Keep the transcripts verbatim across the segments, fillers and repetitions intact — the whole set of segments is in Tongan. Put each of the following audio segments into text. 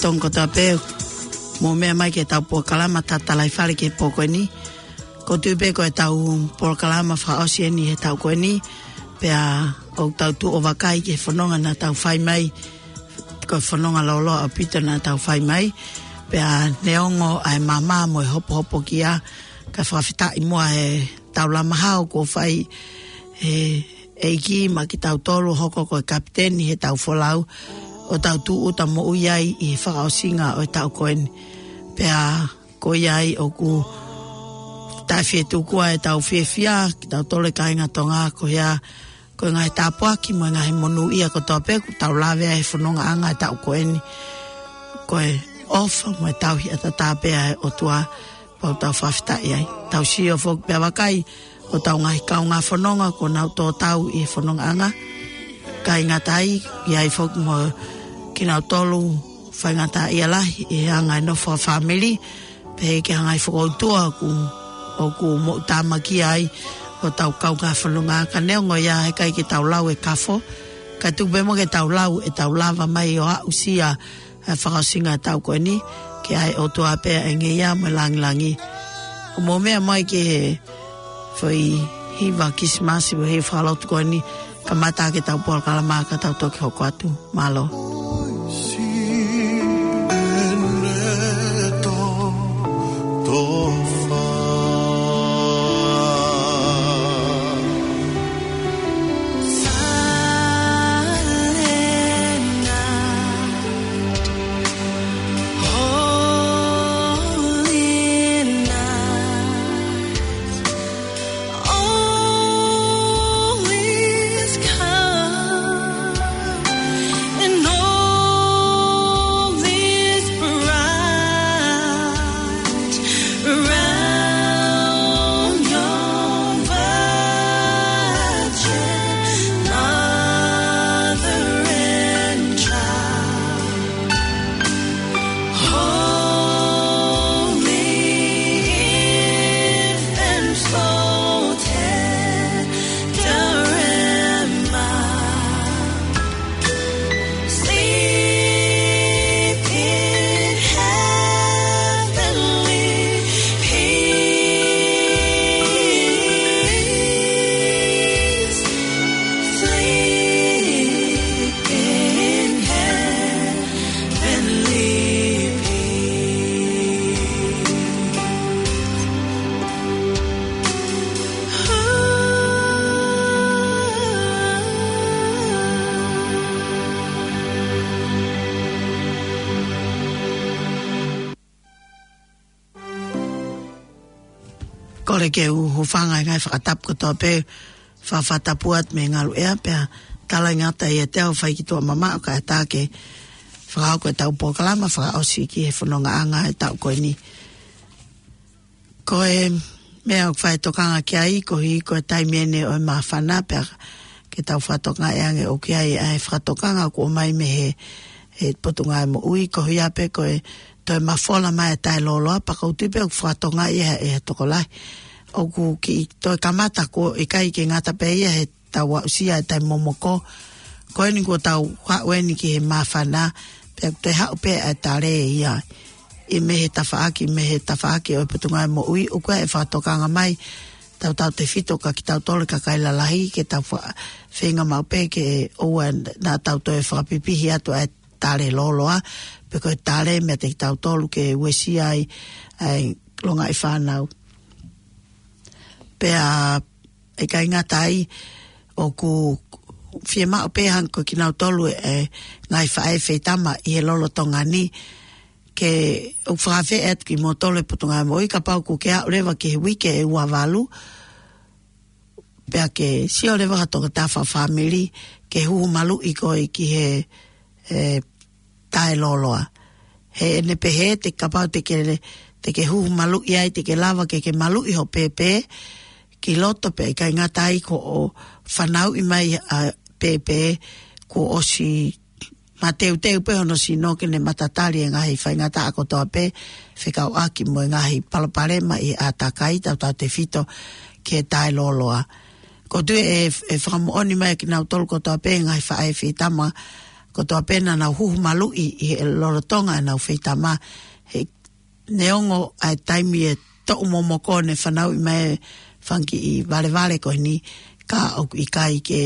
Tonga kotoa pē, mou meʻa mai ki heʻetau polokalama Tatalaifale ki he pō ko eni. ʻOku ou tui pē ko ʻetau polokalama fakaʻosi eni he taʻu ko eni, pea ʻoku tau tuʻu ʻo vakai ki he fononga naʻa tau fai mai, ko e fononga lōloa ʻaupito naʻa tau fai mai, pea neongo ʻa e maama mo e hopohopokia, ka fakafetaʻi muʻa he taulama hao kuo fai ʻe he ʻEiki maʻa kitautolu hoko ko e kapiteni heʻetau folau, ʻo tau tūʻuta moʻui ai ʻi he fakaʻosinga ʻo e taʻu ko eni. Pea ko ia ai ʻoku taʻefietuku ʻetau fiefia, kitautolu e kāinga Tonga, ko ia, ko e ngaahi tāpuaki mo e ngaahi monūʻia kotoa pē kuo tau lave ai he fonongaʻanga e taʻu ko eni. Ko e ʻofa mo e tauhi ʻataʻatā pē ʻa e ʻOtua, pea ʻoku tau fakafetaʻi ai. Tau sio foki pea vakai hotau ngaahi kaungā fononga kuo nau tō tau ʻi he fonongaʻanga. Kāinga tai, ʻi ai foki mo kinautolu faingataʻaʻia lahi ʻi he anga e nofo fakafāmili, pehē ki he ngaahi fokoutua ʻoku, ʻoku moʻutāmakia ai hotau kaungā fononga. Ka neongo ia, heʻikai ke tau lau e kafo, ka tuku pē mo ke tau lau ʻetau lava mai ʻo aʻusia ʻa e fakaʻosinga e taʻu ko eni, ke ʻai ʻOtua pē ʻa e ngeia mo e langilangi. ʻO mou meʻa mai ki he foʻi hiva Kilisimasi mo e hiva fakalotu ko eni, kamata ʻaki ʻetau polokalama ka tau toki hoko atu. Mālō. Kole ke u hūfanga he ngaahi fakatapu kotoa pē, fakatapu atu mei he ngaluʻea, pea talaange atu ia te u fai ki tuʻa mamaʻo kae ʻatā ke fakahoko ʻetau polokalama fakaʻosi ki he fonongaʻanga e taʻu ko eni. Ko e meʻa ʻoku fai tokanga ki ai, koeʻuhi ko e taimi eni ʻo e māfana, pea ke tau fakatokangaʻi ange ʻoku ʻi ai ʻa e fakatokanga kuo ʻomai mei he, he Potungāue Moʻui, koeʻuhi pē ko e toe mafola mai e taʻelōloa, pea ʻoku ou tui pē ʻoku fakatokangaʻi ʻe he, ʻe he tokolahi. ʻOku kiʻi toe kamata, ʻoku ʻikai ke ngata pē ia heʻetau aʻusia e taimi momoko. Ko eni kuo tau haʻu eni ki he māfana, pea ʻoku toe haʻu pē ʻa e tale ia. ʻI mei he tafaʻaki, mei he tafaʻaki ʻo e Potungāue Moʻui, ʻoku ʻi ai e fakatokanga mai, tautautefito kia kitautolu e kakai lalahi, ke tau fa-, feinga maʻu pē ke ʻoua naʻa tau toe fakapipihi atu ʻa e taʻelōloa, pe ko e tale meiate kitautolu ke uesia ai ʻa e longaʻi fānau. Pea ʻikai ngata ai, ʻoku fiemaʻu pē hangē ko kinautolu e ngaahi faʻē feitama ʻi he lolotonga ni, ke u fakafeʻao atu kimoutolu e Potungāue Moʻui, kapau ʻoku ke aʻu leva ki he uike ʻe ua valu, pea ke sio leva ha tokotaha fakafāmili ke huhu maluʻi koe ki he, e, taʻelōloa. He ʻene pehē te kapau te ke, te ke huhu maluʻi ai, te ke lava ke ke maluʻi ho pēpē ki loto, pea ʻikai ngata ai, ko hoʻo fanauʻi mai ʻa e pēpē kuo ʻosi mateuteu pē hono sino ke ne matatali e ngaahi faingataʻa kotoa pē fekauʻaki mo e ngaahi palopalema ʻi he ʻātakai, tautautefito ki he taʻelōloa. ʻOku ou tui ʻe, ʻe fakamoʻoni mai kinautolu kotoa pē ngaahi faʻē feitama, kotoa pē naʻa nau huhu maluʻi ʻi he lolotonga ʻenau feitama, he neongo ʻa e taimi ʻe toʻu momoko ne fanauʻi mai e fanga kiʻi valevale ko eni, ka ʻoku ʻikai ke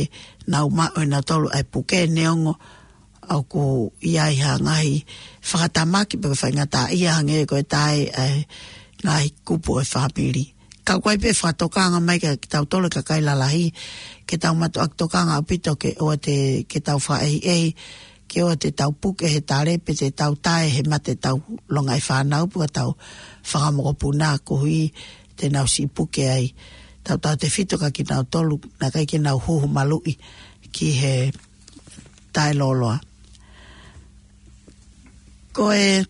nau maʻu ʻe nautolu ʻa e puke neongo ʻoku ʻi ai ha ngaahi fakatamaki pe ko e faingataʻaʻia hangē ko e taʻe ʻa e ngaahi kupu ʻo e fāmili. Ka ʻoku ʻi ai pē fakatokanga mai kia kitautolu e kakai lalahi, ke tau mātuʻaki tokanga ʻaupito ke ʻoua te, ke tau fakaʻehiʻehi, ke ʻoua te tau puke he tale pe te tau taʻe he mate ʻetau longaʻi fānau pe ko ʻetau fanga mokopuna koeʻuhi te nau siʻi puke ai. Tautautefito kia kinautolu naʻe ʻikai ke nau huhu maluʻi ki he taʻelōloa. Ko e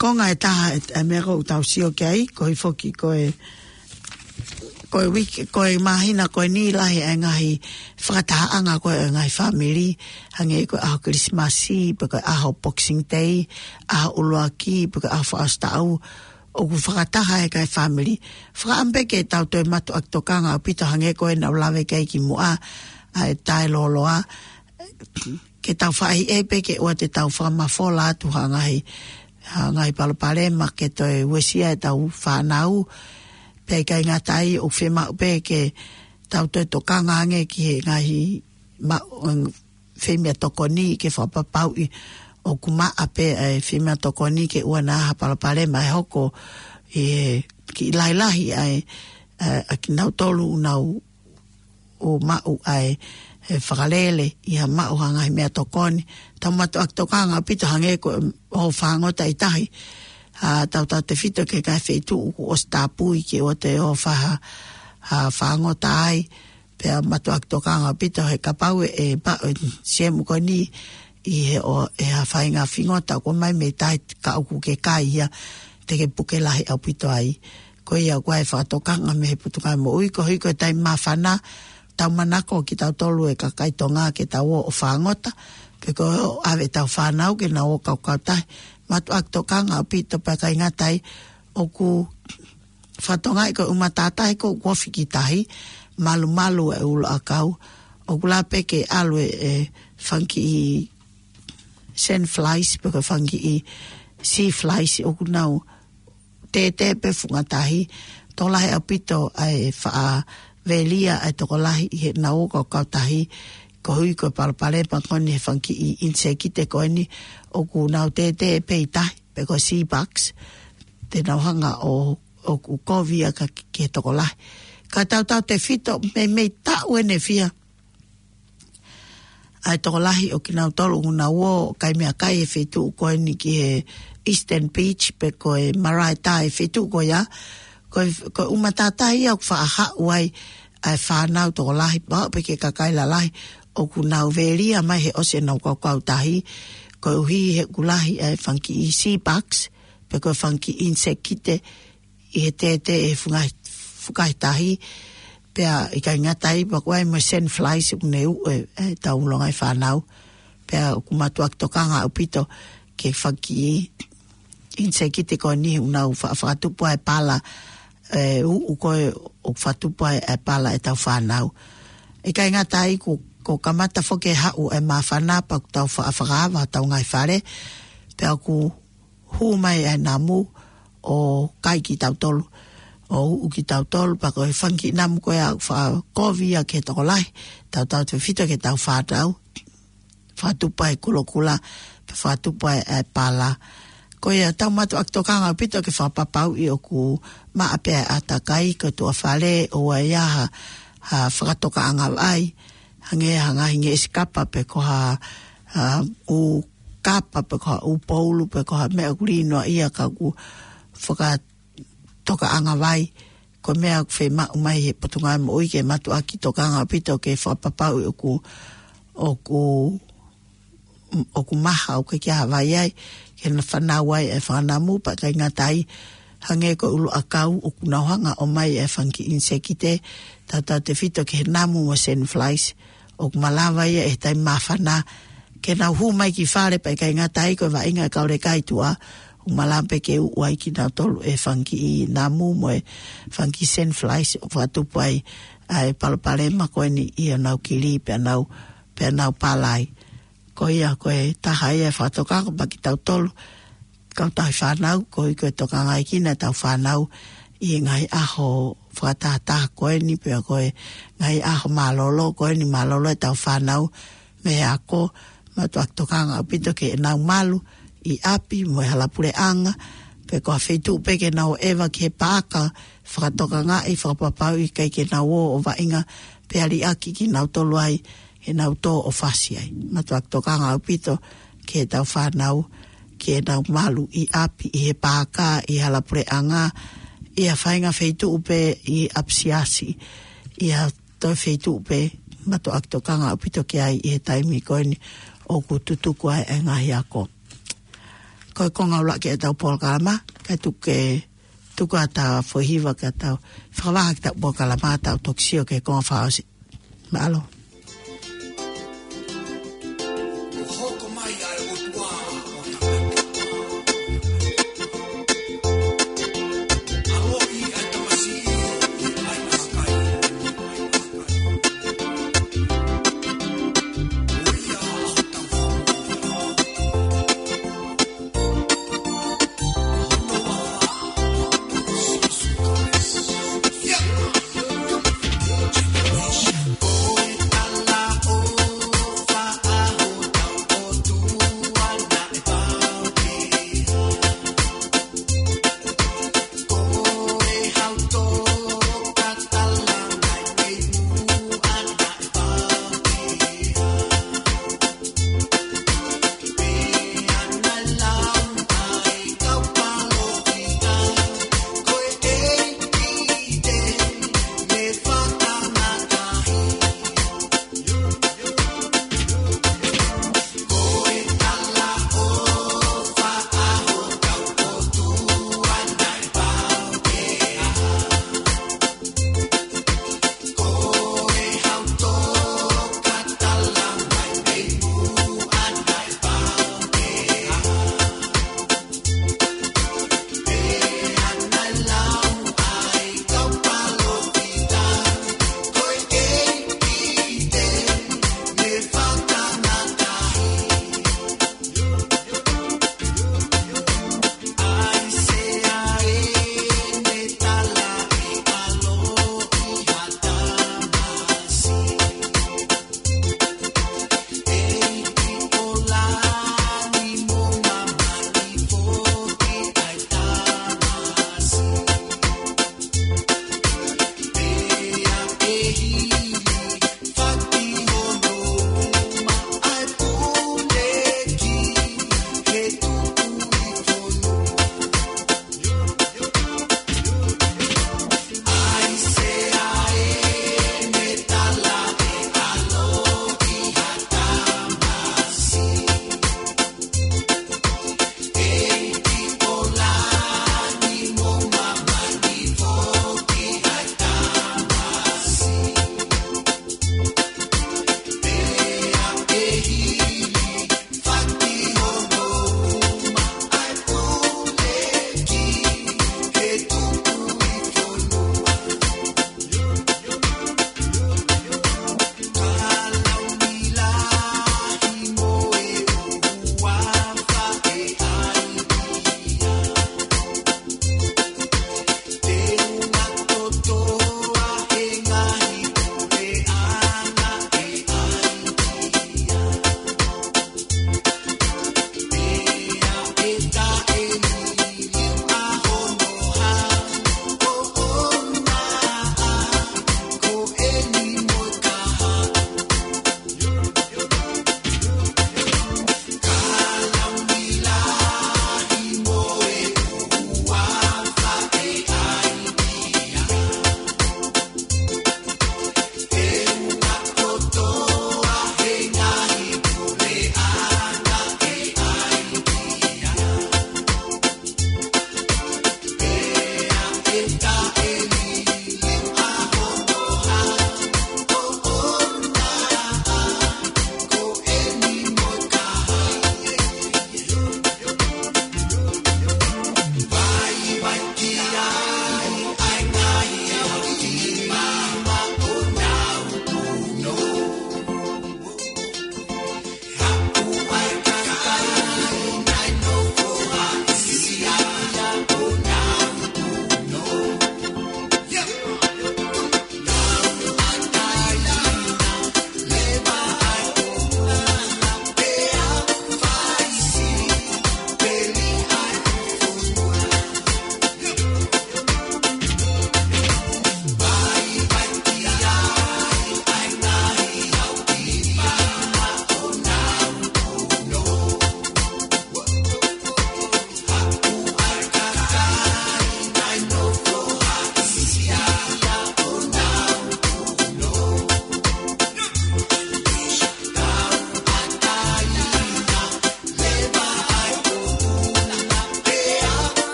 konga ʻe taha ʻe, ʻe meʻa ʻoku tau sio ki ai, koeʻuhi foki ko e, ko e uike, ko e māhina ko eni lahi ʻa e ngaahi fakatahaʻanga ko ē ʻa e ngaahi fāmili, hangē ko e ʻaho Kilisimasi, pe ko e ʻaho Boxing Day, ʻaho ʻuluaki, pe ko e ʻaho fakaʻosi taʻu, ʻoku fakataha e kakai fāmili. Fakaʻamu pē ke tau toe mātuʻaki tokanga ʻaupito hangē ko e naʻa ku lave ki ai kimuʻa, ʻa e taʻelōloa, ke tau fakaʻehiʻehi pē ke ʻoua te tau fakamafola atu ha ngaahi, ha ngaahi palopalema ke toe uesia ʻetau fānau. Pea ʻikai ngata ai, ʻoku fiemaʻu pē ke tau toe tokanga ange ki he ngaahi ma-, femeʻatokoni ke fakapapauʻi ʻoku maʻa pē ʻa e femeʻatokoni ke ʻoua naʻa ha palopalema ʻe hoko ʻi he kiʻi lahilahi ʻa e, ʻa, ʻa kinautolu ʻoku nau ʻo maʻu ʻa e, e fakalele ʻi ha maʻu ha ngaahi meʻatokoni. Tau mātuʻaki tokanga ʻaupito hangē ko e ʻoho fāngota ʻi tahi. ʻA, tautautefito ki he ngaahi feituʻu kuo ʻosi tāpui ke ʻoua te ʻoho fai ha, ha fāngota ai. Pea mātuʻaki tokanga ʻaupito he kapau ʻe, ʻe maʻu e siemu ko eni ʻi he ʻo, ʻe ha faʻahinga fingota ʻoku ʻomai mei tahi ka ʻoku ke kai ia, te ke puke lahi ʻaupito ai. Ko ia ʻoku ʻi ai e fakatokanga mei he Potungāue Moʻui, koeʻuhi ko e taimi māfana, tau manako kitautolu e kakai Tonga ke tau ō ʻo fāngota, pe ko e ʻave ʻetau fānau ke nau ō ʻo kaukau tahi, mātuʻaki tokanga ʻaupito pea ʻikai ngata ai, ʻoku fakatokangaʻi ko e ʻū matātahi ko ē ʻoku ofi ki tahi, malumalu e ʻuluʻakau, ʻoku lava pē ke ʻalu e, e fanga kiʻi sand flies, pe ko e fanga kiʻi sea flies, ʻoku nau tētē pē funga tahi, tokolahi ʻaupito ʻa e faʻa velia ʻa e tokolahi ʻi heʻenau ō ʻo kaukau tahi, koeʻuhi ko e palopalema ko eni he fanga kiʻi ʻinisekite ko eni ʻoku nau tētē pē ʻi tahi, pe ko e sea bugs, te nau hanga ʻo, ʻoku kovi ia ka ki, ki he tokolahi. Ka tautautefito meimei taʻu ʻeni ʻe fiha ʻa e tokolahi ʻo kinautolu ʻoku nau ō ʻo kai meʻakai he feituʻu ko eni ki he Eastern Beach, pe ko e Marae Tai, feituʻu ko ia. Ko e, ko e ʻū matātahi ia ʻoku faʻa haʻu ai ʻa e fānau tokolahi, pau pē ki he kakai lalahi, ʻoku nau velia mai he ʻosi ʻenau kaukau tahi, koeʻuhi he ʻoku lahi ʻa e fanga kiʻi sea bugs, pe ko e fanga kiʻi ʻinisekite ʻi he tētē he funga, fukahi tahi, pea ʻikai ngata ai, pea ʻoku ʻi ai mo e sand flies ʻoku ne uʻu e, ʻetau longaʻi fānau, pea ʻoku mātuʻaki tokanga ʻaupito ki he fanga kiʻi ʻinisekite ko eni ʻoku nau fa-, fakatupu ai e pala, e, uʻu ko ē ʻoku fakatupu ai e pala ʻetau fānau. ʻIkai ngata ai, kuo, kuo kamata foki e haʻu e māfana pea ʻoku tau fa-, fakaava hotau ngaahi fale, pea ʻoku hū mai e namu ʻo kai kitautolu, ʻo uʻu kitautolu, pea ko e fanga kiʻi namu ko ia ʻoku faʻa kovi ia ki he tokolahi, tautautefito ki heʻetau fānau, fakatupu ai e kulokula, pea fakatupu ai e pala. Ko ia tau mātuʻaki tokanga ʻaupito ke fakapapauʻi ʻoku maʻa pē ʻa e ʻātakai, ko e tuʻa fale, ʻoua ʻe ʻi ai ha, ha fakatokaʻanga vai, hangē ha ngaahi ngeʻesi kapa pe ko ha, ha ʻū kapa pe ko ha ʻū poulu pe ko ha meʻa ʻoku lī noaʻia ka ʻoku fakatokaʻanga vai. Ko e meʻa ʻoku fiemaʻu mai he Potungāue Moʻui ke mātuʻaki tokanga ʻaupito ke fakapapauʻi ʻoku, ʻoku, ʻoku maha, ʻoku ʻikai ke ʻi ai ha vai ai, ke na fanau ai e fanga namu, pea ʻikai ngata ai, hangē ko e ʻuluʻakau ʻoku nau hanga ʻo ʻomai e fanga kiʻi ʻinisekite, tautautefito ki he namu mo e sand flies, ʻoku malava ia ʻi he taimi māfana ke nau hū mai ki fale, pea ʻikai ngata ai, ko e vaʻinga e kau leka ʻi tuʻa, ʻoku malava pē ke uʻu ai kinautolu e fanga kiʻi namu mo e fanga kiʻi sand flies ʻo fakatupu ai ʻa e palopalema ko eni ʻi honau kili pea nau pea nau palaʻi. Ko ia ko e taha ia e fakatokanga maʻa kitautolu, kau tauhi fānau, ko e, ko e tokangaʻi kinautolu ʻetau fānau ʻi he ngaahi ʻaho fakatahataha ko eni, pea ko e ngaahi ʻaho mālōlō ko eni, mālōlō ʻetau fānau mei he ako. Mātuʻaki tokanga ʻaupito ke nau malu ʻi ʻapi mo e hala puleʻanga, pe ko ha feituʻu pē ke nau ʻeva ki he paaka, fakatokangaʻi, fakapapauʻi ʻikai ke nau ō ʻo vaʻinga pea liʻaki kinautolu ai heʻenau tō ʻo fasi ai. Mātuʻaki tokanga ʻaupito ki heʻetau fānau, ke nau malu ʻi ʻapi, ʻi he paaka, ʻi hala puleʻanga, ʻi ha faʻahinga feituʻu pē ʻi ʻapisiasi, ʻi ha toe feituʻu pē. Mātuʻaki tokanga ʻaupito ki ai ʻi he taimi ko eni ʻoku tutuku ai e ngaahi ako. Ko e konga ʻuluaki ʻetau polokalama, kae tuku ke tuku atu ha foʻi hiva kae tau fakavaha ki heʻetau polokalama, tau toki sio ki he konga fakaʻosi. Mālō.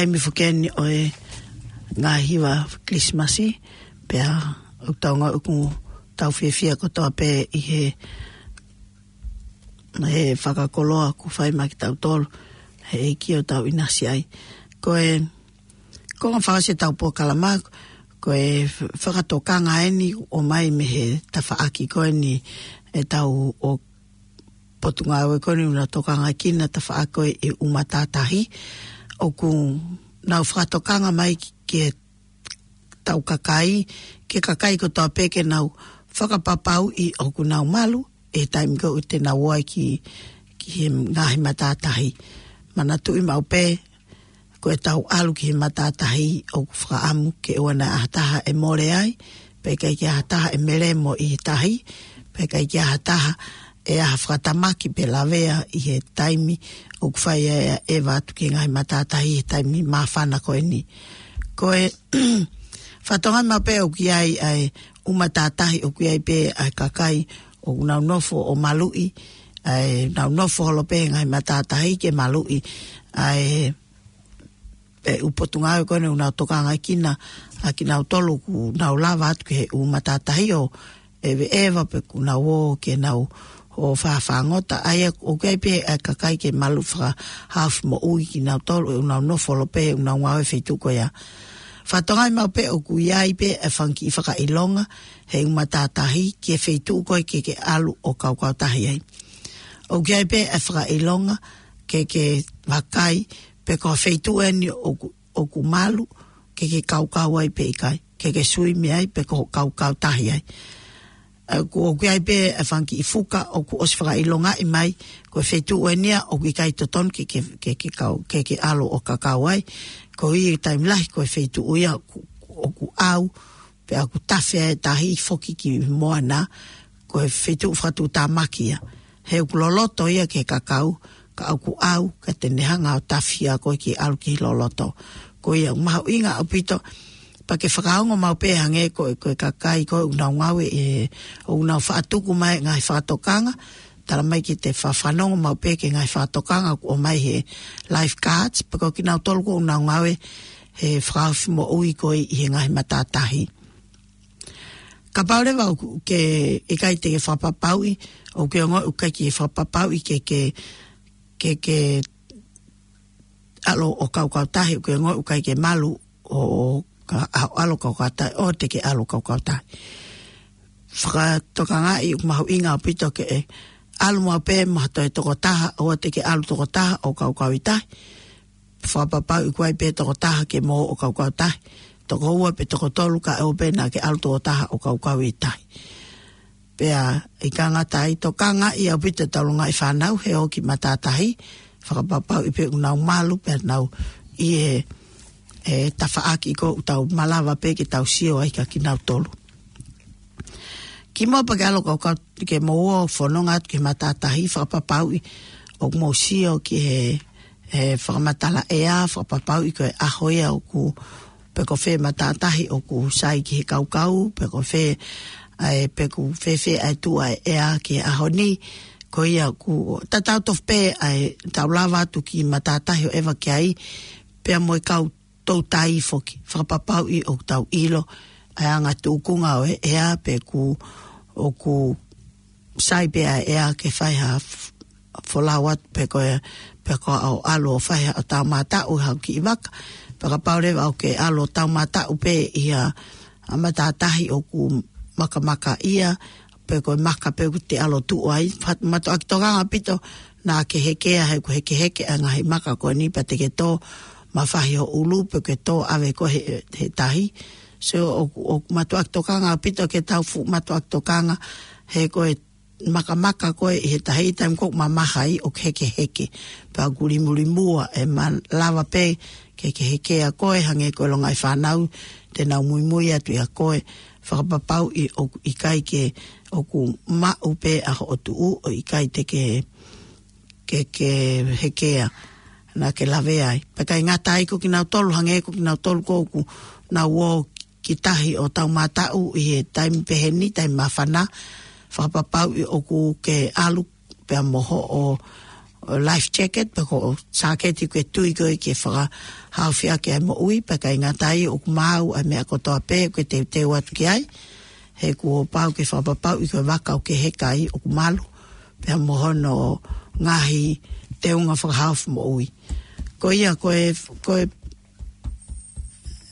ʻEmi fukeni ʻo e ngaahi hiva Kilisimasi, pea ʻoku tau ngāue ʻoku tau fiefia kotoa pē ʻi he, he fakakoloa ʻoku fai maʻa kitautolu, he ʻEiki ʻoku tau ʻinasi ai. Ko e, ko e ngaahi fakaʻosi ʻetau polokalama, ko e fakatokanga eni ʻoku ʻomai mei he tafaʻaki ko eni ʻetau ʻo Potungāue ko eni ʻoku nau tokangaʻi kinautolu tafaʻaki ko e ʻū matātahi. ʻOku nau fakatokanga mai ki, ki heʻetau kakai, ki he kakai kotoa pē ke nau fakapapauʻi ʻoku nau malu, ʻi he taimi ko ē te nau ō ai ki, ki he ngaahi matātahi. Manatuʻi maʻu pē, ko ʻetau ʻalu ki he matātahi ʻoku fakaʻamu ke ʻoua naʻa ʻi ai ha taha ʻe mole ai, pea ʻikai ke ʻi ai ha taha ʻe melemo ʻi he tahi, pea ʻikai ke ʻi ai ha taha ʻe ʻi ai ha fakatamaki pe lavea ʻi he taimi ʻoku fai ai ʻa e ʻeva atu ki he ngaahi matātahi ʻi he taimi māfana ko eni. Ko e fakatokanga maʻu pē ʻoku ʻi ai ʻa e ʻū matātahi ʻoku ʻi ai pē ʻa e kakai ʻoku nau nofo ʻo maluʻi, ʻa e nau nofo holo pē he ngaahi matātahi ke maluʻi, ʻa e ʻū potungāue ko eni ʻoku nau tokangaʻi kinautolu ʻoku nau lava atu ki he ʻū matātahi ʻo ʻeveʻeva pe ʻoku nau ō ke nau ō fafangota. ʻA ia ʻoku ʻi ai pē ʻa e kakai ke malu fakahaofi moʻui kinautolu ʻoku nau nofo holo pē ʻoku nau ngāue he feituʻu ko ia. Fakatokanga maʻu pē ʻoku ʻi ai pē ʻa e fanga kiʻi fakaʻilonga he ʻū matātahi ki he feituʻu ko ē ke ke ʻalu ʻo kaukautahi ai. ʻOku ʻi ai pē ʻa e fakaʻilonga ke ke vakai pe ko e feituʻu eni ʻoku, ʻoku malu ke ke kaukau ai pe ʻikai, ke ke suimi ai pe ko e kaukautahi ai. ʻOku, ʻoku ʻi ai pē ʻa e fanga kiʻi fuka ʻoku ʻosi fakaʻilongaʻi mai ko e feituʻu eni ia ʻoku ʻikai totonu ke, ke, ke, ke kau, ke ke ʻalu ʻo kaukautahi ai. Koeʻuhi taimi lahi ko e feituʻu ia ʻoku, ʻoku ʻau, pea ʻoku tafe ai e tahi foki ki moana, ko e feituʻu fakatuʻutāmaki ia. He ʻoku loloto ia ki he kakau, ka ʻoku ʻau, ka te ne hanga ʻo tafi ʻa koe ke ʻalu ki loloto. Ko ia ʻoku mahuʻinga ʻaupito, pea ke fakaongo maʻu pē hangē ko e, ko e kakai ko ē ʻoku nau ngāue ʻi he, ʻoku nau faʻa tuku mai e ngaahi fakatokanga, tala mai ke te fa-, fanongo maʻu pē ki he ngaahi fakatokanga ʻoku ʻomai he lifeguards, pe ko kinautolu ko ē ʻoku nau ngāue he fakahaofi moʻui ko ē ʻi he ngaahi matātahi. Kapau leva ʻoku ke ʻikai te ke fakapapauʻi, ʻoku ke ongoʻi ʻoku ʻikai ke fakapapauʻi ke, ke, ke, ke ʻalu ʻo kaukautahi, ʻoku ke ongoʻi ʻoku ʻikai ke malu ʻo, ʻo ka-, ʻa-, ʻalu ʻo kaukautahi, ʻoua te ke ʻalu ʻo kaukautahi. Fakatokangaʻi ʻoku mahuʻinga ʻaupito ke ʻalu maʻu pē mo ha toe tokotaha, ʻoua te ke ʻalu tokotaha ʻo kaukauʻi tahi. Fakapapauʻi ʻoku ʻi ai pē tokotaha ke mo ō ʻo kaukautahi. Toko ua pe toko tolu kae ʻoua pē naʻa ke ʻalu tokotaha ʻo kaukauʻi tahi. Pea ʻikai ngata ai, tokangaʻi ʻaupito ʻetau longaʻi fānau he ō ki matātahi, fakapapauʻi pē ʻoku nau malu pea nau ʻi he, he tafaʻaki ko ē ʻoku tau malava pē ke tau sio ai kia kinautolu. Kimuʻa pea ke ʻalu ʻo kaukau, ke mou ō ʻo fononga atu ki he matātahi, fakapapauʻi ʻoku mou sio ki he, he fakamatala ʻea, fakapapauʻi ko e ʻaho ia ʻoku, pe ko fē matātahi ʻoku sai ki he kaukau, pe ko fē, ʻa e, pe ko fēfē ʻa e tuʻu ʻa e ʻea ki he ʻaho ni. Ko ia ʻoku tatau tofu pē ʻa ʻetau lava atu ki matātahi ʻo ʻeva ki ai, pea mo e kau toutai foki, fakapapauʻi ʻoku tau ʻilo ʻa e anga tūkunga ʻo e ʻea pe ʻoku, ʻoku sai pē ʻa e ʻea ke fai ha f-, folau atu pe ko e, pe ko e ʻalu ʻo fai ha ʻo taumātaʻu ha kiʻi vaka. Pea kapau leva ʻoku ke ʻalu ʻo taumātaʻu pē ʻi ha, ha matātahi ʻoku makamaka ia, pe ko e maka pē ʻoku te ʻalu ʻo tuʻu ai. Fa-, mātuʻaki tokanga ʻaupito naʻa ke hekea he ʻoku hekeheke ʻa e ngaahi maka ko eni pea te ke tō mafahi ho ʻulu pe ke tō ʻave koe he, he tahi. So ʻoku, ʻoku mātuʻaki tokanga ʻaupito ke tau fuʻu mātuʻaki tokanga he ko e makamaka ko ē ʻi he tahi taimi ʻoku mamaha ai ʻoku hekeheke. Pea ʻoku limulimua e malava pē ke ke hekea koe hangē ko e longaʻi fānau te nau muimui atu ʻia koe. Fakapapauʻi ʻoku ʻikai ke ʻoku maʻu pē ʻa hoʻo tuʻu ʻo ʻikai te ke, ke, ke hekea naʻa ke lavea ai. Pea ʻikai ngata ai ko kinautolu hangē ko kinautolu ko ē ʻoku nau ō ki tahi ʻo taumātaʻu ʻi he taimi pehē ni, taimi māfana, fakapapauʻi ʻoku ke ʻalu pea mo hoʻo ʻo life jacket, pe ko e sāketi ʻoku ke tui ko ē ke fakahaofi ʻaki ʻa e moʻui, pea ʻikai ngata ai ʻoku maau ʻa e meʻa kotoa pē ʻoku ke teuteu atu ki ai. He kuo pau ke fakapapauʻi ko e vaka ʻoku ke heka ai ʻoku malu, pea mo hono ngaahi teunga fakahaofi moʻui. Ko ia, ko e, ko e,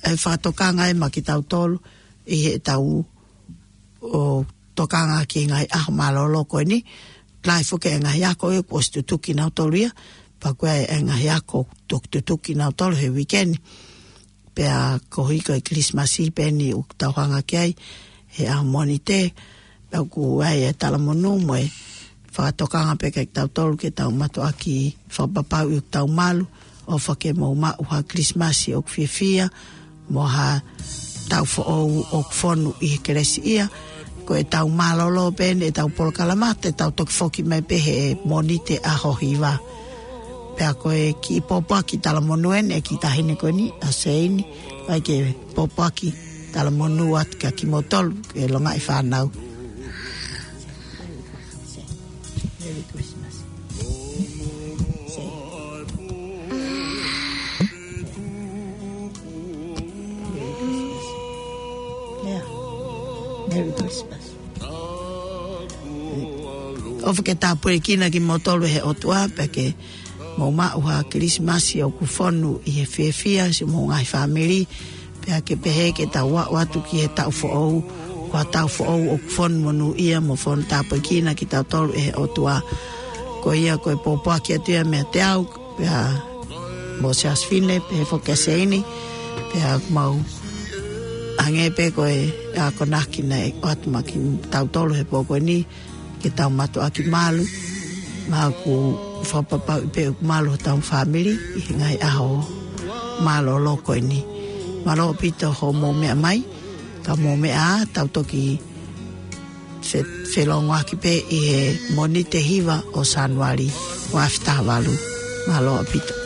e fakatokanga ē maʻa kitautolu ʻi heʻetau ʻo tokanga ki he ngaahi ʻaho mālōlō ko eni, lahi foki e ngaahi ako ē kuo ʻosi tutuki nautolu ia, pea ko e ngaahi ako ʻoku tutuki nautolu he weekend. Pea koeʻuhi ko e Kilisimasi pē eni ʻoku tau hanga ki ai he ʻaho Mōnite, pea ʻoku ʻi ai e talamonū mo e fakatokanga pē kiate kitautolu ke tau mātuʻaki fakapapauʻi ʻoku tau malu, ʻofa ke mou maʻu ha Kilisimasi ʻoku fiefia, mo ha taʻu foʻou ʻoku fonu ʻi he kelesiʻia. Ko ʻetau mālōlō pē eni ʻetau polokalama, te tau toki foki mai pē he Mōnite ʻaho hiva. Pea ko e kiʻi pōpoaki talamonū eni ʻa e kiʻi taʻahine ko eni, ʻa Seini, ʻai ke pōpoaki talamonū atu kiate kimoutolu, ke longaʻi fānau. Merry Christmas. Say. Merry Christmas. Yeah. Merry Christmas. ʻOfa ke tāpuekina kimoutolu ʻe he ʻOtua, pea ke mou maʻu ha Kilisimasi ʻoku fonu ʻi he fiefia, siʻomou ngaahi fāmili, pea ke pehē ke tau aʻu atu ki he taʻu foʻou, ko ha taʻu foʻou ʻoku fonu monūʻia mo fonu tāpuekina kitautolu ʻe he ʻOtua. Ko ia ko e pōpoaki atu ia meiate au, pea mo Siaosi Fine, pehē foki kia Seini, pea mau hangē pē ko e akonaki naʻe ʻoatu maʻa kitautolu he pō ko eni, ke tau mātuʻaki malu, mo ʻoku fakapapauʻi pē ʻoku malu hotau fāmili ʻi he ngaahi ʻaho mālōlō ko eni. Mālō ʻaupito hoʻomou meʻa mai, ka mou meʻa ā, tau toki fe-, felōngoaki pē ʻi he Mōnite hiva ʻo Sānuali, ua afe taha valu. Mālō ʻaupito.